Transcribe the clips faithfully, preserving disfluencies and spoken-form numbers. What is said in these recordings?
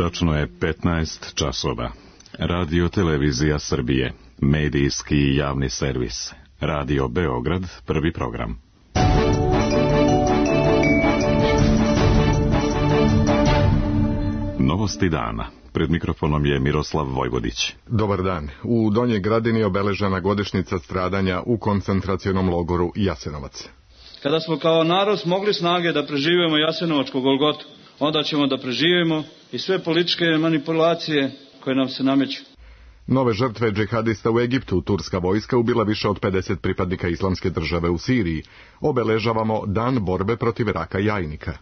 Tačno je petnaest časova. Radio Televizija Srbije, medijski i javni servis. Radio Beograd, prvi program. Novosti dana. Pred mikrofonom je Miroslav Vojvodić. Dobar dan. U Donjoj Gradini obeležena godišnjica stradanja u koncentracionom logoru Jasenovac. Kada smo kao narod smogli snage da preživimo Jasenovačku Golgotu, onda ćemo da preživimo i sve političke manipulacije koje nam se nameću. Nove žrtve džihadista u Egiptu. Turska vojska ubila više od pedeset pripadnika Islamske države u Siriji. Obeležavamo Dan borbe protiv raka jajnika.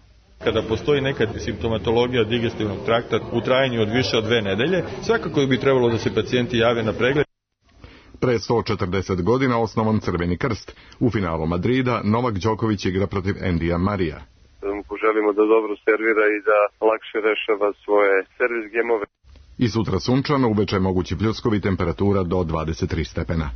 Kada postoji neka simptomatologija digestivnog trakta u trajanju od više od dve nedelje, svakako bi trebalo da se pacijenti jave na pregled. Pre sto četrdeset godina osnovan Crveni krst. U finalu Madrida Novak Đoković igra protiv Endija Marija. Poželimo da dobro servira i da lakše rešava svoje servis gemove. I sutra sunčano, uveče mogući pljuskovi, temperatura do dvadeset tri stepena.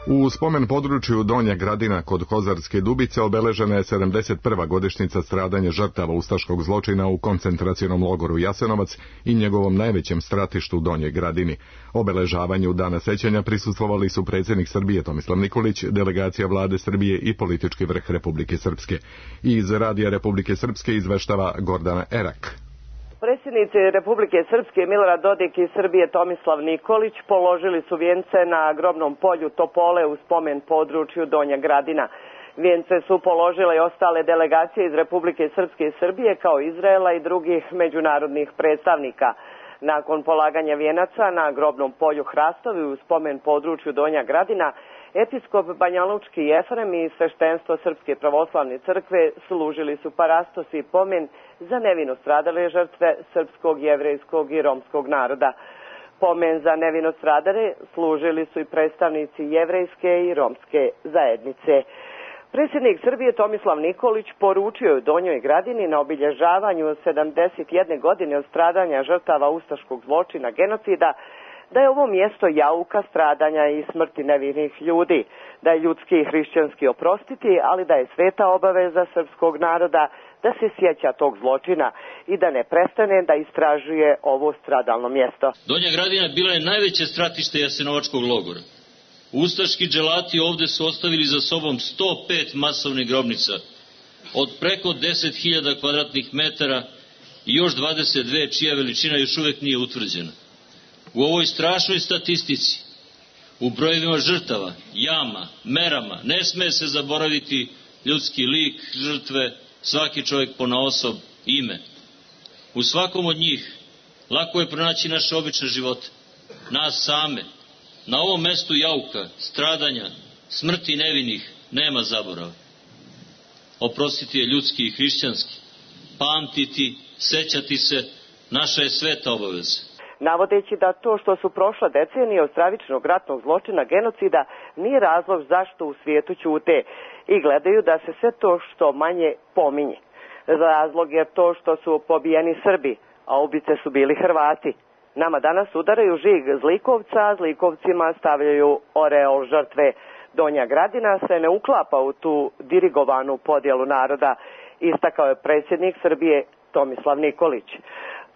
U spomen području Donja Gradina kod Kozarske Dubice obeležena je sedamdeset prva godišnjica stradanja žrtava ustaškog zločina u koncentracionom logoru Jasenovac i njegovom najvećem stratištu Donjoj Gradini. Obeležavanju Dana sećanja prisustvovali su predsjednik Srbije Tomislav Nikolić, delegacija vlade Srbije i politički vrh Republike Srpske. Iz Radija Republike Srpske izveštava Gordana Erak. Predsjednici Republike Srpske Milorad Dodik i Srbije Tomislav Nikolić položili su vijence na grobnom polju Topole u spomen području Donja Gradina. Vijence su položile i ostale delegacije iz Republike Srpske i Srbije kao Izraela i drugih međunarodnih predstavnika. Nakon polaganja vijenaca na grobnom polju Hrastovi u spomen području Donja Gradina, episkop Banjalučki Jefrem i sveštenstvo Srpske pravoslavne crkve služili su parastos i pomen za nevino stradale žrtve srpskog, jevrejskog i romskog naroda. Pomen za nevino stradale služili su i predstavnici jevrejske i romske zajednice. Predsjednik Srbije Tomislav Nikolić poručio je u Donjoj Gradini na obilježavanju sedamdeset jedne godine od stradanja žrtava ustaškog zločina genocida da je ovo mjesto jauka, stradanja i smrti nevinih ljudi, da je ljudski i hrišćanski oprostiti, ali da je sveta obaveza srpskog naroda da se sjeća tog zločina i da ne prestane da istražuje ovo stradalno mjesto. Donja Gradina bila je najveće stratište Jasenovačkog logora. Ustaški dželati ovdje su ostavili za sobom sto pet masovnih grobnica od preko deset hiljada kvadratnih metara i još dvadeset dve čija veličina još uvijek nije utvrđena. U ovoj strašnoj statistici, u brojevima žrtava, jama, merama, ne sme se zaboraviti ljudski lik žrtve, svaki čovjek ponaosob, ime. U svakom od njih lako je pronaći naše obične živote, nas same. Na ovom mestu jauka, stradanja, smrti nevinih nema zaborava. Oprostiti je ljudski i hrišćanski. Pamtiti, sećati se, naša je sveta obaveza. Navodeći da to što su prošle decenije od stravičnog ratnog zločina genocida nije razlog zašto u svijetu ćute i gledaju da se sve to što manje pominje. Razlog je to što su pobijeni Srbi, a ubice su bili Hrvati. Nama danas udaraju žig zlikovca, a zlikovcima stavljaju oreol žrtve. Donja Gradina se ne uklapa u tu dirigovanu podjelu naroda, istakao je predsjednik Srbije Tomislav Nikolić.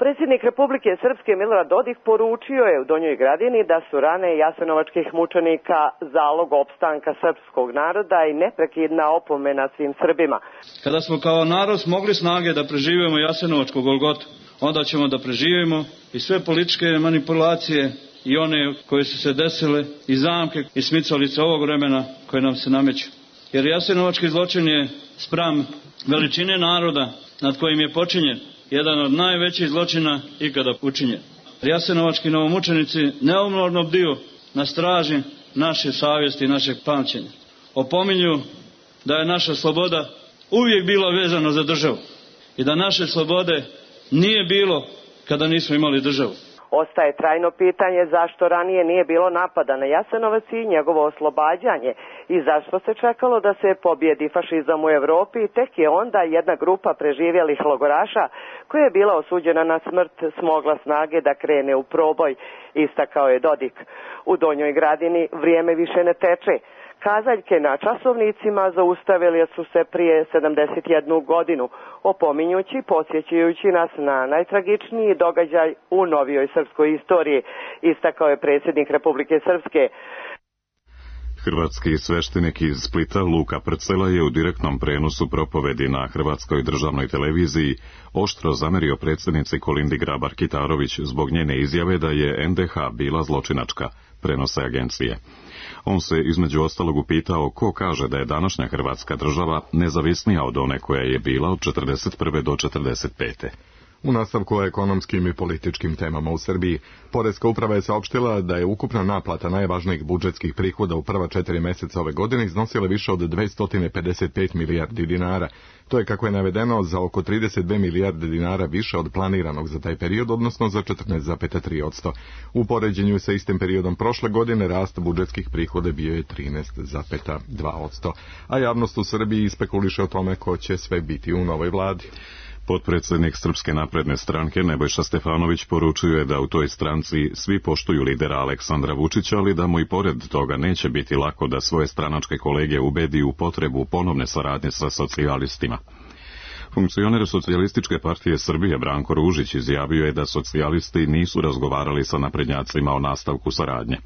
Predsjednik Republike Srpske Milorad Dodik poručio je u Donjoj Gradini da su rane jasenovačkih mučenika zalog opstanka srpskog naroda i neprekidna opomena svim Srbima. Kada smo kao narod smogli snage da preživimo Jasenovačku Golgotu, onda ćemo da preživimo i sve političke manipulacije i one koje su se desile i zamke i smicalice ovog vremena koje nam se nameću. Jer jasenovački zločin je spram veličine naroda nad kojim je počinjen jedan od najvećih zločina ikada učinjen. Jasenovački novomučenici neumorno bdiju na straži naše savjesti i našeg pamćenja. Opominju da je naša sloboda uvijek bila vezana za državu i da naše slobode nije bilo kada nismo imali državu. Ostaje trajno pitanje zašto ranije nije bilo napada na Jasenovac i njegovo oslobađanje i zašto se čekalo da se pobjedi fašizam u Evropi i tek je onda jedna grupa preživjelih logoraša koja je bila osuđena na smrt smogla snage da krene u proboj, istakao je Dodik. U Donjoj Gradini vrijeme više ne teče. Kazaljke na časovnicima zaustavili su se prije sedamdeset jednu godinu, opominjući, podsjećajući nas na najtragičniji događaj u novijoj srpskoj istoriji, istakao je predsjednik Republike Srpske. Hrvatski sveštenik iz Splita Luka Prcela je u direktnom prenosu propovedi na Hrvatskoj državnoj televiziji oštro zamerio predsjednici Kolindi Grabar-Kitarović zbog njene izjave da je en de ha bila zločinačka, prenose agencije. On se između ostalog upitao ko kaže da je današnja Hrvatska država nezavisnija od one koja je bila od četrdeset prve do četrdeset pete U nastavku o ekonomskim i političkim temama u Srbiji, Poreska uprava je saopštila da je ukupna naplata najvažnijih budžetskih prihoda u prva četiri meseca ove godine iznosila više od dvesta pedeset pet milijardi dinara. To je, kako je navedeno, za oko trideset dve milijarde dinara više od planiranog za taj period, odnosno za četrnaest zarez tri posto. U poređenju sa istim periodom prošle godine rast budžetskih prihoda bio je trinaest zarez dva posto. A javnost u Srbiji spekuliše o tome ko će sve biti u novoj vladi. Potpredsjednik Srpske napredne stranke Nebojša Stefanović poručuje da u toj stranci svi poštuju lidera Aleksandra Vučića, ali da mu i pored toga neće biti lako da svoje stranačke kolege ubedi u potrebu ponovne saradnje sa socijalistima. Funkcioner Socijalističke partije Srbije Branko Ružić izjavio je da socijalisti nisu razgovarali sa naprednjacima o nastavku saradnje.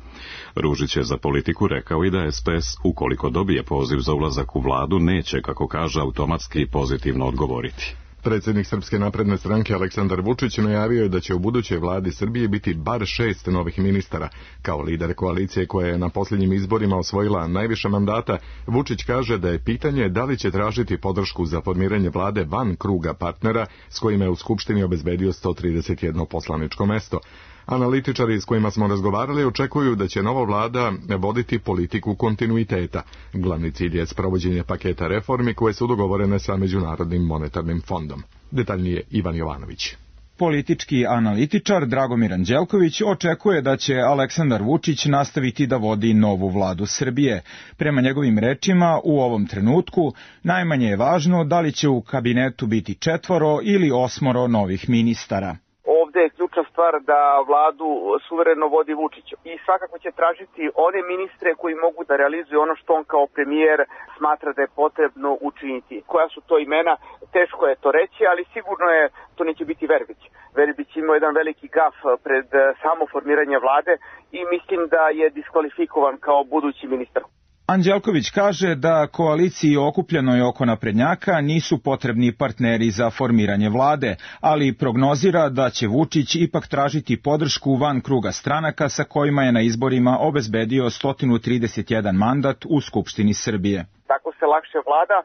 Ružić je za Politiku rekao i da es pe es, ukoliko dobije poziv za ulazak u vladu, neće, kako kaže, automatski pozitivno odgovoriti. Predsjednik Srpske napredne stranke Aleksandar Vučić najavio je da će u budućoj vladi Srbije biti bar šest novih ministara. Kao lider koalicije koja je na posljednjim izborima osvojila najviše mandata, Vučić kaže da je pitanje da li će tražiti podršku za formiranje vlade van kruga partnera s kojima je u Skupštini obezbedio sto trideset jedno poslaničko mesto. Analitičari s kojima smo razgovarali očekuju da će nova vlada voditi politiku kontinuiteta. Glavni cilj je sprovođenje paketa reformi koje su dogovorene sa Međunarodnim monetarnim fondom. Detaljnije Ivan Jovanović. Politički analitičar Dragomir Anđelković očekuje da će Aleksandar Vučić nastaviti da vodi novu vladu Srbije. Prema njegovim rečima, u ovom trenutku najmanje je važno da li će u kabinetu biti četvoro ili osmoro novih ministara. Ovde je ključna stvar da vladu suvereno vodi Vučić i svakako će tražiti one ministre koji mogu da realizuju ono što on kao premijer smatra da je potrebno učiniti. Koja su to imena, teško je to reći, ali sigurno je to neće biti Verbić. Verbić imao jedan veliki gaf pred samo formiranje vlade i mislim da je diskvalifikovan kao budući ministar. Anđelković kaže da koaliciji okupljenoj oko naprednjaka nisu potrebni partneri za formiranje vlade, ali prognozira da će Vučić ipak tražiti podršku van kruga stranaka sa kojima je na izborima obezbedio sto trideset jedan mandat u Skupštini Srbije. Tako se lakše vlada,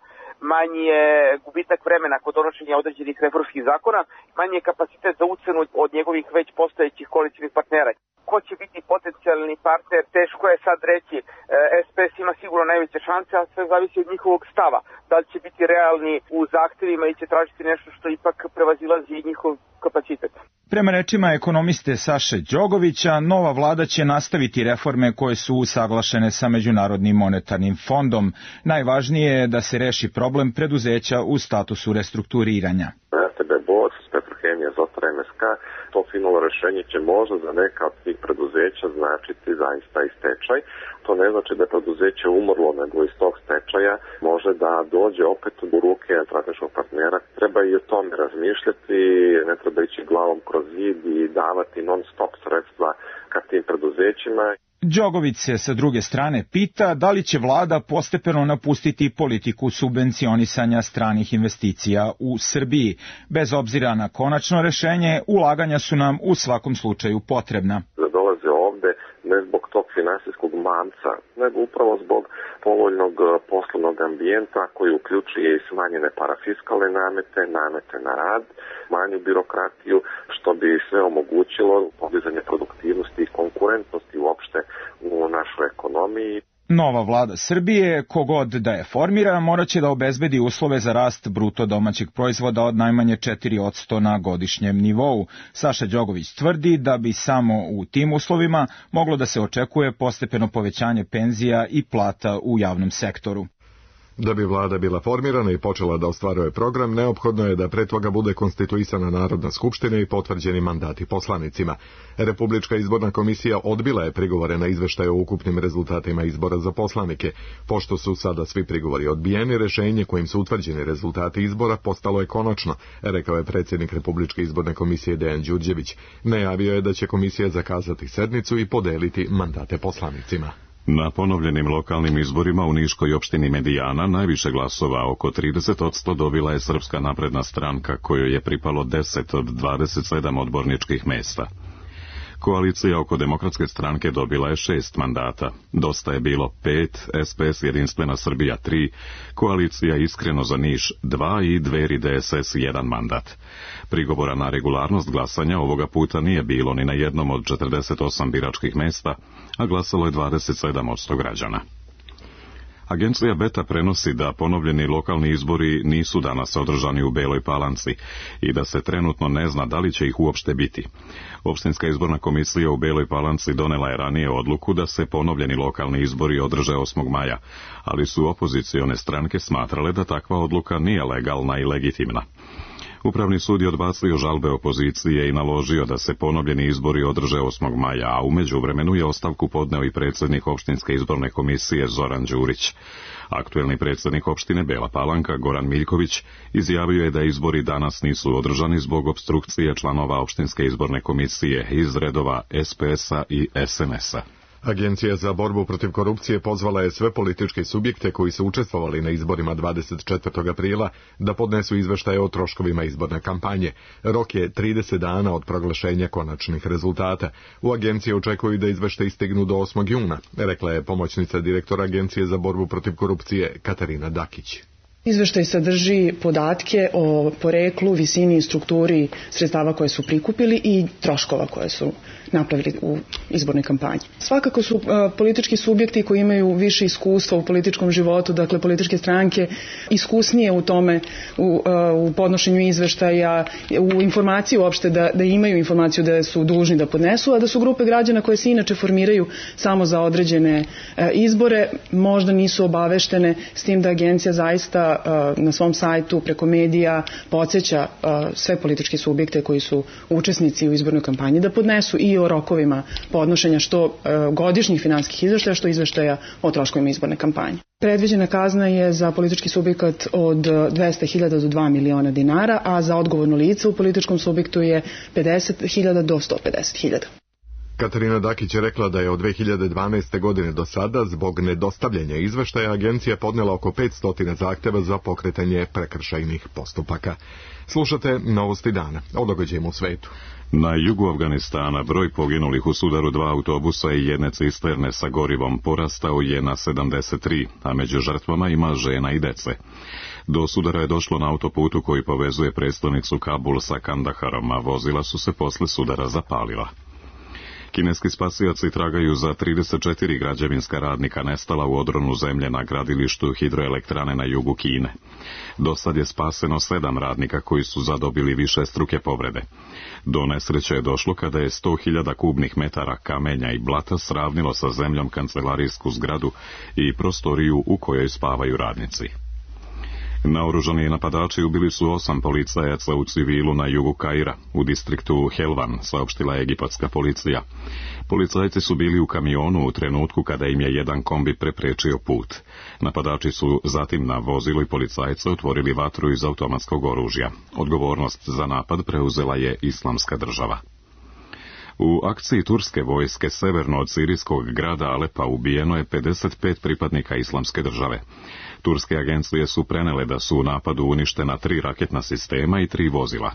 manji je gubitak vremena kod donošenja određenih reformskih zakona, manji je kapacitet za ucenu od njegovih već postojećih koalicijnih partnera. Ko će biti potencijalni partner, teško je sad reći. es pe es ima sigurno najveće šanse, a sve zavisi od njihovog stava. Da li će biti realni u zahtevima i će tražiti nešto što ipak prevazilazi njihov kapacitet. Prema rečima ekonomiste Saše Đogovića, nova vlada će nastaviti reforme koje su usaglašene sa Međunarodnim monetarnim fondom. Najvažnije je da se reši problem preduzeća u statusu restrukturiranja. er te be Bor, Petrohemija, Zotar, em es ka, to finalno rešenje će možda za neka od tih preduzeća značiti zaista i stečaj. To ne znači da je preduzeće umrlo, nego iz tog stečaja može da dođe opet u ruke strateškog partnera. Treba i o tome razmišljati, ne treba ići glavom kroz zid i davati non stop sredstva ka tim preduzećima. Đogović se sa druge strane pita da li će vlada postepeno napustiti politiku subvencionisanja stranih investicija u Srbiji. Bez obzira na konačno rešenje, ulaganja su nam u svakom slučaju potrebna. Da dolaze ovde ne zbog tog finansijskog manca, nego upravo zbog povoljnog poslovnog ambijenta koji uključuje i smanjene parafiskalne namete, namete na rad, manju birokratiju, što bi sve omogućilo podizanje produktivnosti i konkurentnosti uopšte u našoj ekonomiji. Nova vlada Srbije, kogod da je formira, moraće da obezbedi uslove za rast bruto domaćeg proizvoda od najmanje četiri posto na godišnjem nivou. Saša Đogović tvrdi da bi samo u tim uslovima moglo da se očekuje postepeno povećanje penzija i plata u javnom sektoru. Da bi vlada bila formirana i počela da ostvaruje program, neophodno je da pre toga bude konstituisana Narodna skupština i potvrđeni mandati poslanicima. Republička izborna komisija odbila je prigovore na izveštaj o ukupnim rezultatima izbora za poslanike. Pošto su sada svi prigovori odbijeni, rešenje kojim su utvrđeni rezultati izbora postalo je konačno, rekao je predsjednik Republičke izborne komisije Dejan Đurđević. Najavio je da će komisija zakazati sednicu i podeliti mandate poslanicima. Na ponovljenim lokalnim izborima u Niškoj opštini Medijana najviše glasova, oko trideset posto, dobila je Srpska napredna stranka, kojoj je pripalo deset od dvadeset sedam odborničkih mesta. Koalicija oko Demokratske stranke dobila je šest mandata. Dosta je bilo pet, S P S Jedinstvena Srbija tri, Koalicija Iskreno za Niš dva i Dveri D S S jedan mandat. Prigovora na regularnost glasanja ovoga puta nije bilo ni na jednom od četrdeset osam biračkih mesta, a glasalo je dvadeset sedam posto građana. Agencija Beta prenosi da ponovljeni lokalni izbori nisu danas održani u Beloj Palanci i da se trenutno ne zna da li će ih uopšte biti. Opštinska izborna komisija u Beloj Palanci donela je ranije odluku da se ponovljeni lokalni izbori održe osmog maja, ali su opozicione stranke smatrale da takva odluka nije legalna i legitimna. Upravni sud je odbacio žalbe opozicije i naložio da se ponovljeni izbori održe osmog maja, a u međuvremenu je ostavku podneo i predsjednik opštinske izborne komisije Zoran Đurić. Aktuelni predsjednik opštine Bela Palanka, Goran Miljković, izjavio je da izbori danas nisu održani zbog opstrukcije članova opštinske izborne komisije iz redova S P S-a i S N S-a. Agencija za borbu protiv korupcije pozvala je sve političke subjekte koji su učestvovali na izborima dvadeset četvrtog aprila da podnesu izveštaje o troškovima izborne kampanje. Rok je trideset dana od proglašenja konačnih rezultata. U agenciji očekuju da izveštaji stignu do osmog juna, rekla je pomoćnica direktora Agencije za borbu protiv korupcije Katarina Dakić. Izveštaj sadrži podatke o poreklu, visini i strukturi sredstava koje su prikupili i troškova koje su napravili u izbornoj kampanji. Svakako su uh, politički subjekti koji imaju više iskustva u političkom životu, dakle političke stranke, iskusnije u tome, u, uh, u podnošenju izveštaja, u informaciji uopšte da, da imaju informaciju da su dužni da podnesu, a da su grupe građana koje se inače formiraju samo za određene uh, izbore, možda nisu obaveštene, s tim da agencija zaista uh, na svom sajtu preko medija podsjeća uh, sve političke subjekte koji su učesnici u izbornoj kampanji da podnesu i o rokovima podnošenja što e, godišnjih finansijskih izveštaja, što izveštaja o troškovima izborne kampanje. Predviđena kazna je za politički subjekat od dvesta hiljada do dva miliona dinara, a za odgovorno lice u političkom subjektu je pedeset hiljada do sto pedeset hiljada. Katarina Dakić je rekla da je od dve hiljade dvanaeste. godine do sada zbog nedostavljanja izveštaja agencija podnela oko petsto zahtjeva za pokretanje prekršajnih postupaka. Slušate Novosti dana o događajima u svetu. Na jugu Afganistana broj poginulih u sudaru dva autobusa i jedne cisterne sa gorivom porastao je na sedamdeset tri, a među žrtvama ima žena i dece. Do sudara je došlo na autoputu koji povezuje prestonicu Kabul sa Kandaharom, a vozila su se posle sudara zapalila. Kineski spasioci tragaju za trideset četiri građevinska radnika nestala u odronu zemlje na gradilištu hidroelektrane na jugu Kine. Do sad je spaseno sedam radnika koji su zadobili više struke povrede. Do nesreće je došlo kada je sto hiljada kubnih metara kamenja i blata sravnilo sa zemljom kancelarijsku zgradu i prostoriju u kojoj spavaju radnici. Naoružani napadači ubili su osam policajaca u civilu na jugu Kaira, u distriktu Helvan, saopštila je egipatska policija. Policajci su bili u kamionu u trenutku kada im je jedan kombi preprečio put. Napadači su zatim na vozilo i policajce otvorili vatru iz automatskog oružja. Odgovornost za napad preuzela je Islamska država. U akciji turske vojske severno od sirijskog grada Alepa ubijeno je pedeset pet pripadnika Islamske države. Turske agencije su prenele da su u napadu uništena tri raketna sistema i tri vozila.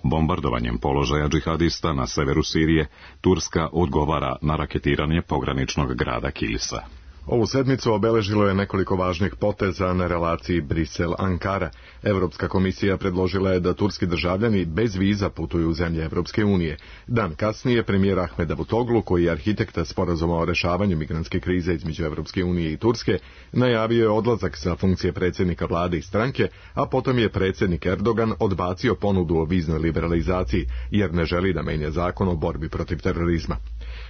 Bombardovanjem položaja džihadista na severu Sirije, Turska odgovara na raketiranje pograničnog grada Kilisa. Ovu sedmicu obeležilo je nekoliko važnih poteza na relaciji Brisel-Ankara. Evropska komisija predložila je da turski državljani bez viza putuju u zemlje Evropske unije. Dan kasnije premijer Ahmed Davutoglu, koji je arhitekta sporazuma o rešavanju migrantske krize između Evropske unije i Turske, najavio je odlazak sa funkcije predsjednika vlade i stranke, a potom je predsjednik Erdogan odbacio ponudu o viznoj liberalizaciji, jer ne želi da menja zakon o borbi protiv terorizma.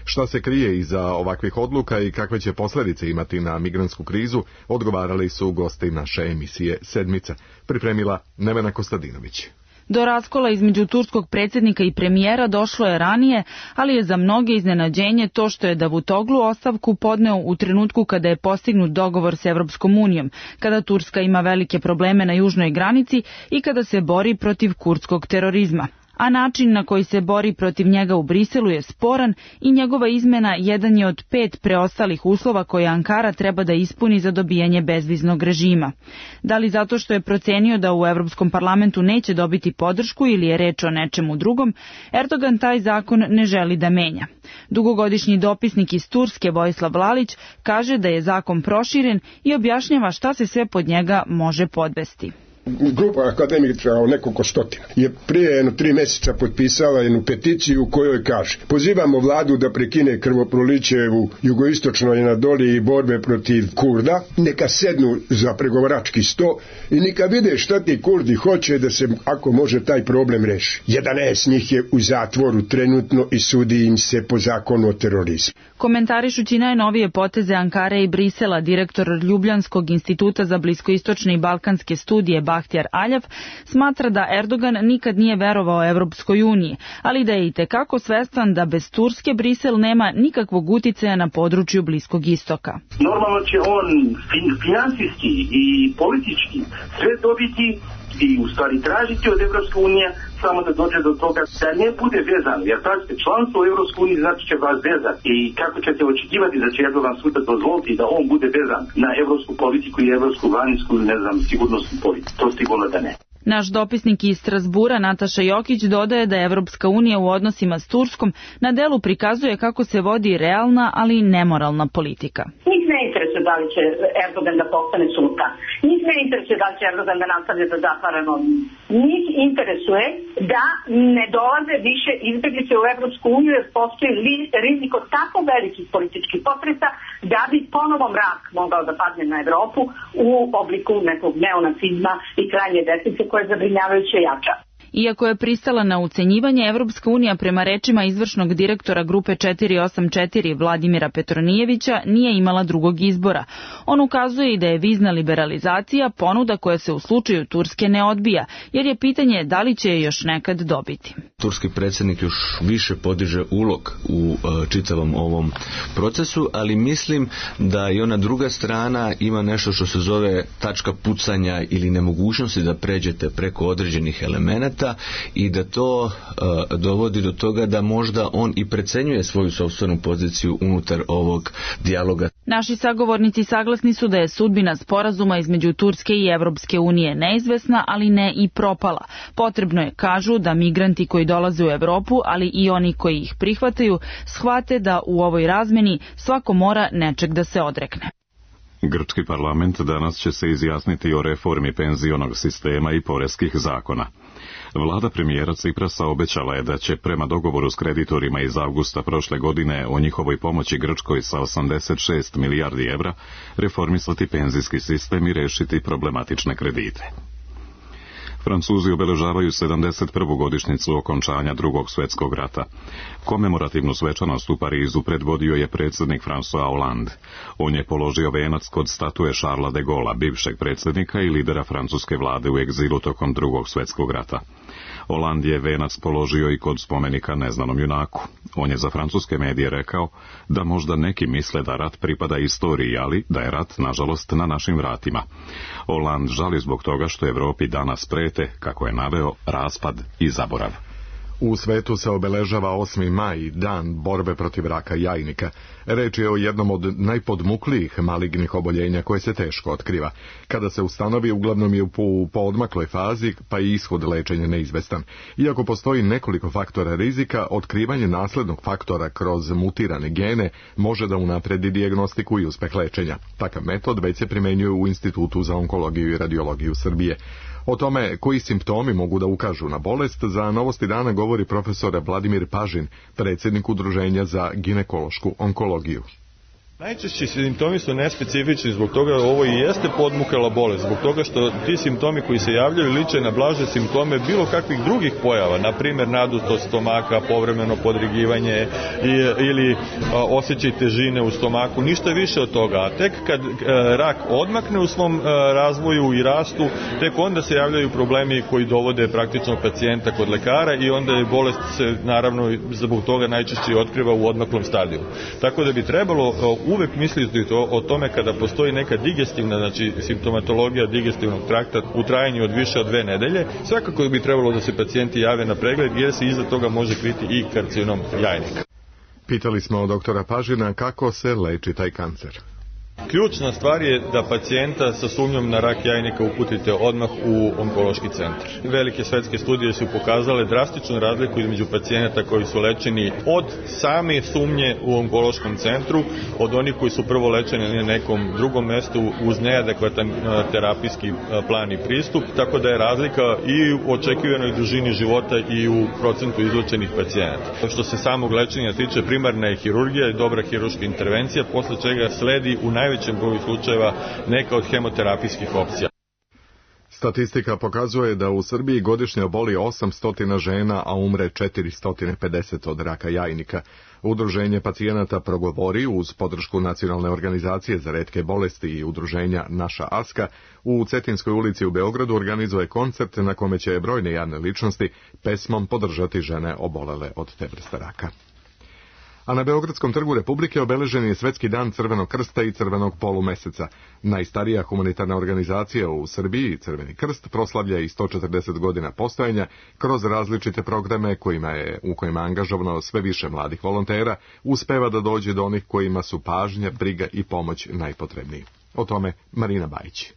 Šta se krije iza ovakvih odluka i kakve će posljedice imati na migrantsku krizu, odgovarali su gosti naše emisije Sedmica. Pripremila Nevena Kostadinović. Do raskola između turskog predsjednika i premijera došlo je ranije, ali je za mnoge iznenađenje to što je Davutoglu ostavku podneo u trenutku kada je postignut dogovor s Evropskom unijom, kada Turska ima velike probleme na južnoj granici i kada se bori protiv kurdskog terorizma. A način na koji se bori protiv njega u Briselu je sporan i njegova izmena jedan je od pet preostalih uslova koje Ankara treba da ispuni za dobijanje bezviznog režima. Da li zato što je procenio da u Evropskom parlamentu neće dobiti podršku ili je reč o nečemu drugom, Erdogan taj zakon ne želi da menja. Dugogodišnji dopisnik iz Turske Vojislav Lalić kaže da je zakon proširen i objašnjava šta se sve pod njega može podvesti. Grupa akademika o nekoliko stotina je prije jedno tri mjeseca potpisala jednu peticiju u kojoj kaže: pozivamo vladu da prekine krvoproliće u jugoistočnoj Anadoliji i borbe protiv Kurda, neka sednu za pregovarački sto i neka vide šta ti Kurdi hoće da se, ako može, taj problem reši. jedanaest njih je u zatvoru trenutno i sudi im se po zakonu o terorizmu. Komentarišući najnovije poteze Ankare i Brisela, direktor Ljubljanskog instituta za bliskoistočne i balkanske studije Bahtjar Aljav smatra da Erdogan nikad nije verovao Evropskoj uniji, ali da je itekako svestan da bez Turske Brisel nema nikakvog uticaja na području Bliskog istoka. Normalno će on finansijski i politički sve dobiti i u stvari tražiti od Evropske unije samo da dođe do toga da ne bude vezan, jer pazite, članstvo u Evropskoj uniji znači će vas vezati i kako ćete očekivati da će Erdogan sutra dozvoliti da on bude vezan na evropsku politiku i evropsku vanjsku, ne znam, sigurnosnu politiku. To sigurno da ne. Naš dopisnik iz Strasbura Nataša Jokić dodaje da je Evropska unija u odnosima s Turskom na delu prikazuje kako se vodi realna, ali nemoralna politika. Njih ne interesuje da li će Erdogan da postane sultan. Njih ne interesuje da li će Erdogan da nastavlja da zatvara novinje. Njih interesuje da ne dolaze više izbjeglice u Evropsku uniju jer postoji rizik od tako velikih političkih potresa da bi ponovo mrak mogao da padne na Evropu u obliku nekog neonacizma i krajnje desnice koje je zabrinjavajuće jača. Iako je pristala na ucenjivanje, Evropska unija prema rečima izvršnog direktora grupe četiri osam četiri Vladimira Petronijevića nije imala drugog izbora. On ukazuje i da je vizna liberalizacija ponuda koja se u slučaju Turske ne odbija, jer je pitanje da li će je još nekad dobiti. Turski predsjednik još više podiže ulog u čitavom ovom procesu, ali mislim da i ona druga strana ima nešto što se zove tačka pucanja ili nemogućnosti da pređete preko određenih elemenata i da to uh, dovodi do toga da možda on i precenjuje svoju sopstvenu poziciju unutar ovog dijaloga. Naši sagovornici saglasni su da je sudbina sporazuma između Turske i Evropske unije neizvesna, ali ne i propala. Potrebno je, kažu, da migranti koji dolaze u Evropu, ali i oni koji ih prihvataju, shvate da u ovoj razmeni svako mora nečeg da se odrekne. Grčki parlament danas će se izjasniti o reformi penzionog sistema i poreskih zakona. Vlada premijera Ciprasa obećala je da će prema dogovoru s kreditorima iz avgusta prošle godine o njihovoj pomoći Grčkoj sa osamdeset šest milijardi evra reformisati penzijski sistem i rešiti problematične kredite. Francuzi obeležavaju sedamdeset prvu godišnjicu okončanja Drugog svjetskog rata. Komemorativnu svečanost u Parizu predvodio je predsjednik François Hollande. On je položio venac kod statue Charlesa de Gaulle'a, bivšeg predsjednika i lidera francuske vlade u egzilu tokom Drugog svjetskog rata. Hollande je venac položio i kod spomenika neznanom junaku. On je za francuske medije rekao da možda neki misle da rat pripada istoriji, ali da je rat, nažalost, na našim vratima. Hollande žali zbog toga što Evropi danas prete, kako je naveo, raspad i zaborav. U svetu se obeležava osmi maj, dan borbe protiv raka jajnika. Reč je o jednom od najpodmuklijih malignih oboljenja koje se teško otkriva. Kada se ustanovi, uglavnom je u poodmakloj fazi, pa i ishod lečenja neizvestan. Iako postoji nekoliko faktora rizika, otkrivanje naslednog faktora kroz mutirane gene može da unapredi dijagnostiku i uspeh lečenja. Takav metod već se primenjuje u Institutu za onkologiju i radiologiju Srbije. O tome koji simptomi mogu da ukažu na bolest, za Novosti dana govori profesor Vladimir Pažin, predsjednik Udruženja za ginekološku onkologiju. Najčešći simptomi su nespecifični, zbog toga ovo i jeste podmukala bolest, zbog toga što ti simptomi koji se javljaju liče na blaže simptome bilo kakvih drugih pojava, na primjer nadutost stomaka, povremeno podrigivanje ili osjećaj težine u stomaku, ništa više od toga. A tek kad rak odmakne u svom razvoju i rastu, tek onda se javljaju problemi koji dovode praktično pacijenta kod lekara i onda je bolest se naravno zbog toga najčešće otkriva u odmaklom stadiju. Tako da bi trebalo uvek misliti to, o tome kada postoji neka digestivna, znači simptomatologija digestivnog trakta u trajanju od više od dve nedelje, svakako bi trebalo da se pacijenti jave na pregled jer se iza toga može kriti i karcinom jajnika. Pitali smo od doktora Pažina kako se leči taj kancer. Ključna stvar je da pacijenta sa sumnjom na rak jajnika uputite odmah u onkološki centar. Velike svetske studije su pokazale drastičnu razliku između pacijenata koji su lečeni od same sumnje u onkološkom centru, od onih koji su prvo lečeni na nekom drugom mestu uz neadekvatan terapijski plan i pristup, tako da je razlika i u očekivanoj dužini života i u procentu izlečenih pacijenata. Što se samog lečenja tiče, primarna je hirurgija i dobra hirurška intervencija, posle čega sledi u najvećem broju slučajeva neka od hemoterapijskih opcija. Statistika pokazuje da u Srbiji godišnje oboli osamsto žena, a umre četiristo pedeset od raka jajnika. Udruženje pacijenata Progovori uz podršku Nacionalne organizacije za retke bolesti i udruženja Naša Aska u Cetinskoj ulici u Beogradu organizuje koncert na kome će brojne javne ličnosti pesmom podržati žene obolele od te vrste raka. A na Beogradskom trgu Republike obeležen je Svetski dan Crvenog krsta i Crvenog polumeseca. Najstarija humanitarna organizacija u Srbiji, Crveni krst, proslavlja i sto četrdeset godina postojanja kroz različite programe kojima je, u kojima je angažovano sve više mladih volontera, uspeva da dođe do onih kojima su pažnja, briga i pomoć najpotrebniji. O tome Marina Bajić.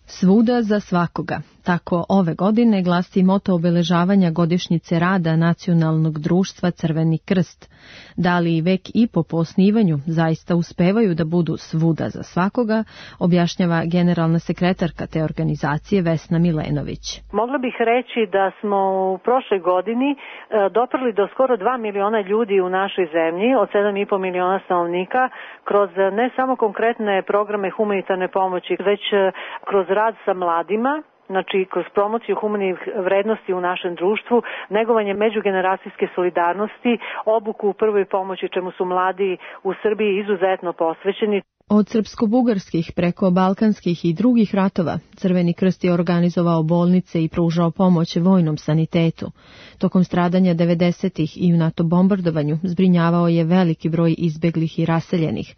Svuda za svakoga. Tako ove godine glasi moto obeležavanja godišnjice rada Nacionalnog društva Crveni krst. Da li vek i po po osnivanju zaista uspevaju da budu svuda za svakoga, objašnjava generalna sekretarka te organizacije Vesna Milenović. Mogla bih reći da smo u prošloj godini doprli do skoro dva miliona ljudi u našoj zemlji, od sedam i po miliona stanovnika, kroz ne samo konkretne programe humanitarne pomoći, već kroz rad sa mladima, znači kroz promociju humanih vrednosti u našem društvu, negovanje međugeneracijske solidarnosti, obuku u prvoj pomoći čemu su mladi u Srbiji izuzetno posvećeni. Od srpsko-bugarskih preko balkanskih i drugih ratova, Crveni krst je organizovao bolnice i pružao pomoć vojnom sanitetu. Tokom stradanja devedesetih i u NATO bombardovanju zbrinjavao je veliki broj izbeglih i raseljenih.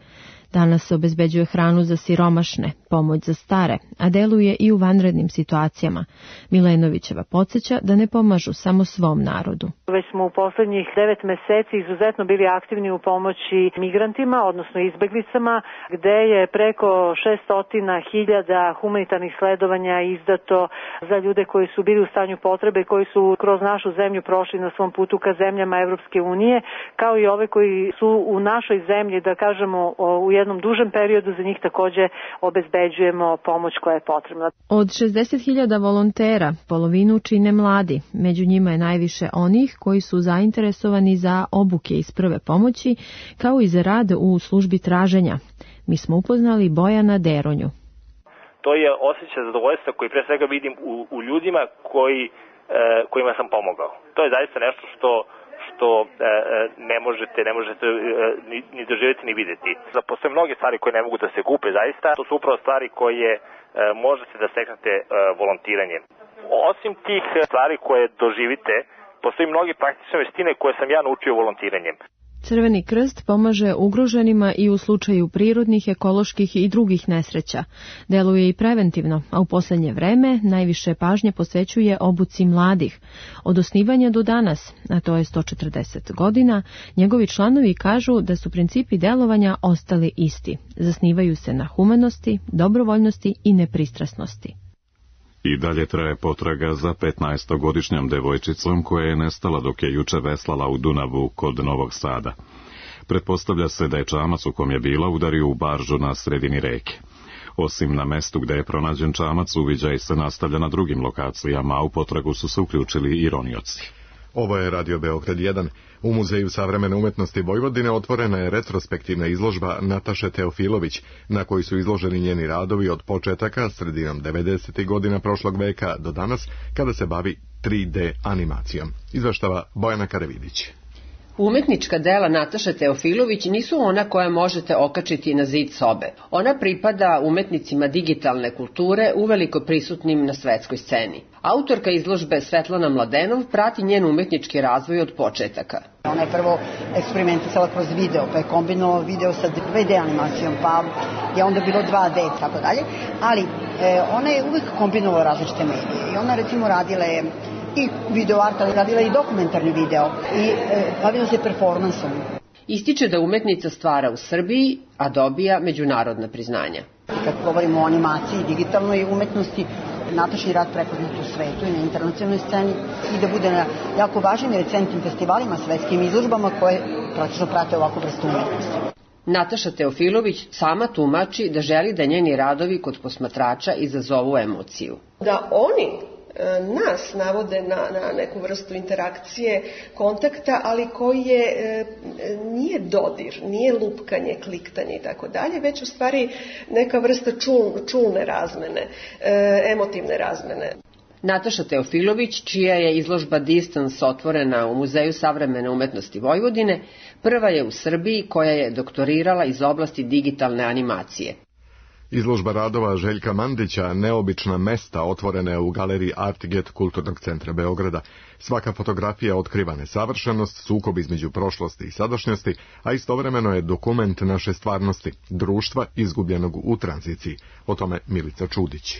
Danas se obezbeđuje hranu za siromašne, pomoć za stare, a deluje i u vanrednim situacijama. Milenovićeva podsjeća da ne pomažu samo svom narodu. Već smo u poslednjih devet meseci izuzetno bili aktivni u pomoći migrantima, odnosno izbeglicama, gde je preko šesto hiljada humanitarnih sledovanja izdato za ljude koji su bili u stanju potrebe, koji su kroz našu zemlju prošli na svom putu ka zemljama Evropske unije, kao i ove koji su u našoj zemlji, da kažemo, u jednom dužem periodu, za njih takođe obezbeđujemo pomoć koja je potrebna. Od šezdeset hiljada volontera polovinu čine mladi, među njima je najviše onih koji su zainteresovani za obuke iz prve pomoći, kao i za rad u službi traženja. Mi smo upoznali Bojana Deronju. To je osjećaj zadovoljstva koji pre svega vidim u, u ljudima koji, e, kojima sam pomogao. To je zaista nešto što što e, ne možete, ne možete e, ni, ni doživjeti ni vidjeti. Postoje mnoge stvari koje ne mogu da se kupe zaista, to su upravo stvari koje e, možete da steknete e, volontiranjem. Osim tih stvari koje doživite, postoji mnogi praktične veštine koje sam ja naučio volontiranjem. Crveni krst pomaže ugroženima i u slučaju prirodnih, ekoloških i drugih nesreća. Deluje i preventivno, a u poslednje vreme najviše pažnje posvećuje obuci mladih. Od osnivanja do danas, a to je sto četrdeset godina, njegovi članovi kažu da su principi delovanja ostali isti. Zasnivaju se na humanosti, dobrovoljnosti i nepristrasnosti. I dalje traje potraga za petnaestogodišnjom devojčicom koja je nestala dok je juče veslala u Dunavu kod Novog Sada. Pretpostavlja se da je čamac u kom je bila udario u baržu na sredini reke. Osim na mestu gde je pronađen čamac, uviđaj se nastavlja na drugim lokacijama, a u potragu su se uključili i ronioci. Ovo je Radio Beograd jedan. U Muzeju savremene umetnosti Vojvodine otvorena je retrospektivna izložba Nataše Teofilović, na kojoj su izloženi njeni radovi od početaka sredinom devedesetih godina prošlog veka do danas, kada se bavi tri D animacijom. Izveštava Bojana Karavidić. Umetnička dela Nataše Teofilović nisu ona koja možete okačiti na zid sobe. Ona pripada umetnicima digitalne kulture, uveliko prisutnim na svetskoj sceni. Autorka izložbe Svetlana Mladenov prati njen umetnički razvoj od početaka. Ona je prvo eksperimentisala kroz video, pa je kombinovao video sa dve D animacijom, pa je onda bilo dva D i tako dalje, ali e, ona je uvek kombinovala različite medije i ona recimo radila je i video art, ali radila i dokumentarni video i e, bavila se performansom. Ističe da umetnica stvara u Srbiji, a dobija međunarodna priznanja. Kad govorimo o animaciji i digitalnoj umetnosti, Natašin rad prepoznat u svetu i na internacionalnoj sceni i da bude na jako važnim i recentnim festivalima, svetskim izložbama koje praktično prate ovakvu vrstu umetnosti. Nataša Teofilović sama tumači da želi da njeni radovi kod posmatrača izazovu emociju. Da oni nas navode na, na neku vrstu interakcije, kontakta, ali koji je, e, nije dodir, nije lupkanje, kliktanje i tako dalje, već u stvari neka vrsta čul, čulne razmene, e, emotivne razmene. Nataša Teofilović, čija je izložba Distance otvorena u Muzeju savremene umetnosti Vojvodine, prva je u Srbiji koja je doktorirala iz oblasti digitalne animacije. Izložba radova Željka Mandića Neobična mesta otvorena je u galeriji Artget Kulturnog centra Beograda. Svaka fotografija otkriva nesavršenost, sukob između prošlosti i sadašnjosti, a istovremeno je dokument naše stvarnosti, društva izgubljenog u tranziciji. O tome Milica Čudić.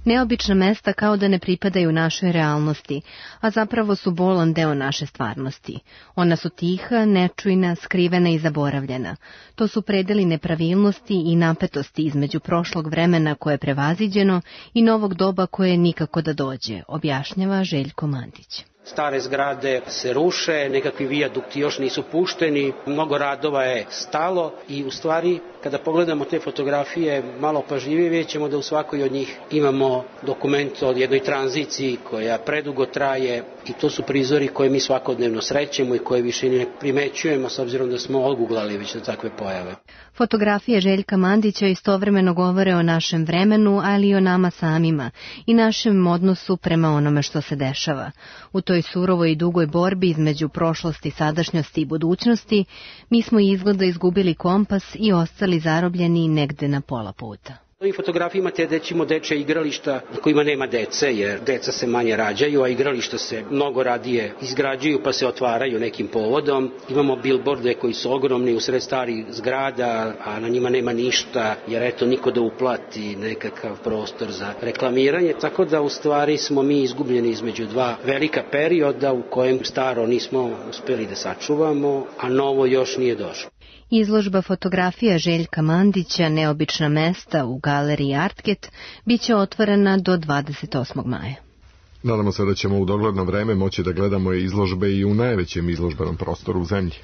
Neobična mesta kao da ne pripadaju našoj realnosti, a zapravo su bolan deo naše stvarnosti. Ona su tiha, nečujna, skrivena i zaboravljena. To su predeli nepravilnosti i napetosti između prošlog vremena koje je prevaziđeno i novog doba koje nikako da dođe, objašnjava Željko Mandić. Stare zgrade se ruše, nekakvi vijadukti još nisu pušteni, mnogo radova je stalo i u stvari kada pogledamo te fotografije malo pažljivije vidjet ćemo da u svakoj od njih imamo dokument o jednoj tranziciji koja predugo traje i to su prizori koje mi svakodnevno srećemo i koje više ne primećujemo s obzirom da smo odguglali već na takve pojave. Fotografije Željka Mandića istovremeno govore o našem vremenu, ali i o nama samima i našem odnosu prema onome što se dešava. U toj surovoj i dugoj borbi između prošlosti, sadašnjosti i budućnosti, mi smo izgleda izgubili kompas i ostali zarobljeni negde na pola puta. U ovim fotografijama te dećimo dečja igrališta na kojima nema dece, jer deca se manje rađaju, a igrališta se mnogo radije izgrađuju pa se otvaraju nekim povodom. Imamo bilborde koji su ogromni usred starih zgrada, a na njima nema ništa, jer eto niko da uplati nekakav prostor za reklamiranje, tako da u stvari smo mi izgubljeni između dva velika perioda u kojem staro nismo uspeli da sačuvamo, a novo još nije došlo. Izložba fotografija Željka Mandića Neobična mesta u galeriji Artget biće otvorena do dvadeset osmog maja. Nadamo se da ćemo u dogledno vreme moći da gledamo izložbe i u najvećem izložbenom prostoru u zemlji.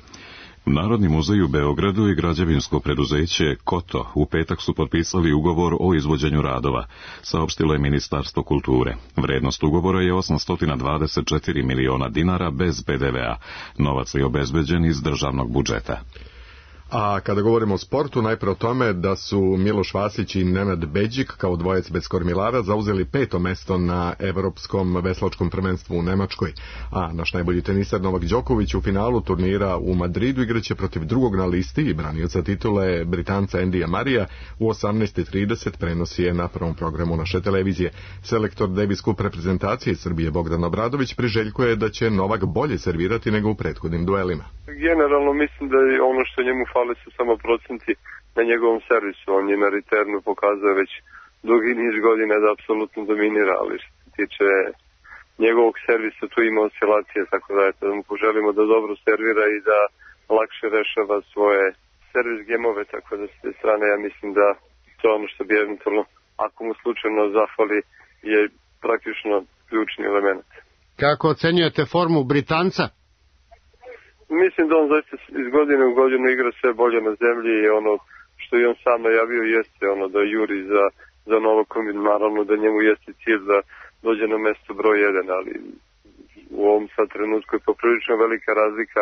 Narodni muzej u Beogradu i građevinsko preduzeće Koto u petak su potpisali ugovor o izvođenju radova, saopštilo je Ministarstvo kulture. Vrednost ugovora je osamsto dvadeset četiri miliona dinara bez P D V A. Novac je obezbeđen iz državnog budžeta. A kada govorimo o sportu, najpre o tome da su Miloš Vasić i Nenad Beđik kao dvojec bez kormilara zauzeli peto mesto na Evropskom veslačkom prvenstvu u Nemačkoj, a naš najbolji teniser Novak Đoković u finalu turnira u Madridu igraće protiv drugog na listi i branioca titule Britanca Endija Marija u osamnaest trideset, prenosi je na prvom programu naše televizije. Selektor Davis Cup reprezentacije Srbije Bogdan Obradović priželjkuje da će Novak bolje servirati nego u prethodnim duelima. Generalno mislim da je ono što njemu fali su samo procenti na njegovom servisu. On je na returnu pokazao već dugi niz godina da apsolutno dominira, ali što se tiče njegovog servisa tu ima oscilacije, tako da, eto, da mu poželimo da dobro servira i da lakše rešava svoje servis gemove, tako da s te strane ja mislim da to ono što bi eventualno, ako mu slučajno zafali, je praktično ključni element. Kako ocenjujete formu Britanca? Mislim da on zaista iz godine u godinu igra sve bolje na zemlji i ono što je on sam najavio jeste ono da juri za, za Novakom, naravno da njemu jeste cilj da dođe na mesto broj jedan, ali u ovom sad trenutku je poprilično velika razlika,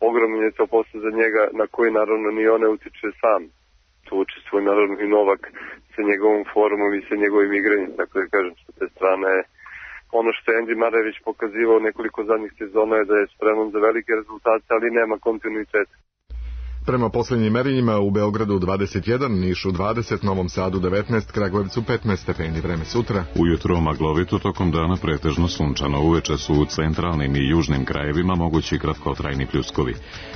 ogromno je to posle za njega na koji naravno ni on ne utiče sam. Tu učestvuje naravno i Novak sa njegovom formom i sa njegovim igranjem, tako da kažem, sa te strane ono što je Andy Murray već pokazivao nekoliko zadnjih sezona je da je spreman za velike rezultate, ali nema kontinuiteta. Prema posljednjim merenjima u Beogradu dvadeset jedan, Nišu dvadeset, Novom Sadu devetnaest, Kragujevcu petnaest stepeni. Vreme sutra. Ujutro maglovito, tokom dana pretežno sunčano. Uveče su u centralnim i južnim krajevima mogući kratkotrajni pljuskovi.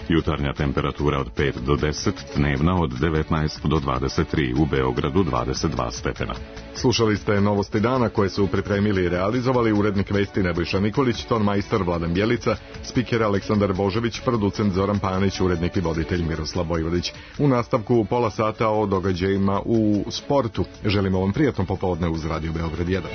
Jutarnja temperatura od pet do deset, dnevna od devetnaest do dvadeset tri, u Beogradu dvadeset dva stepena. Slušali ste novosti dana koje su pripremili i realizovali urednik vesti Nebojša Nikolić, ton majstor Vladan Bjelica, spiker Aleksandar Božević, producent Zoran Panić, urednik i voditelj Miroslav Vojvodić. U nastavku pola sata o događajima u sportu. Želimo vam prijatno popodne uz Radio Beograd jedan.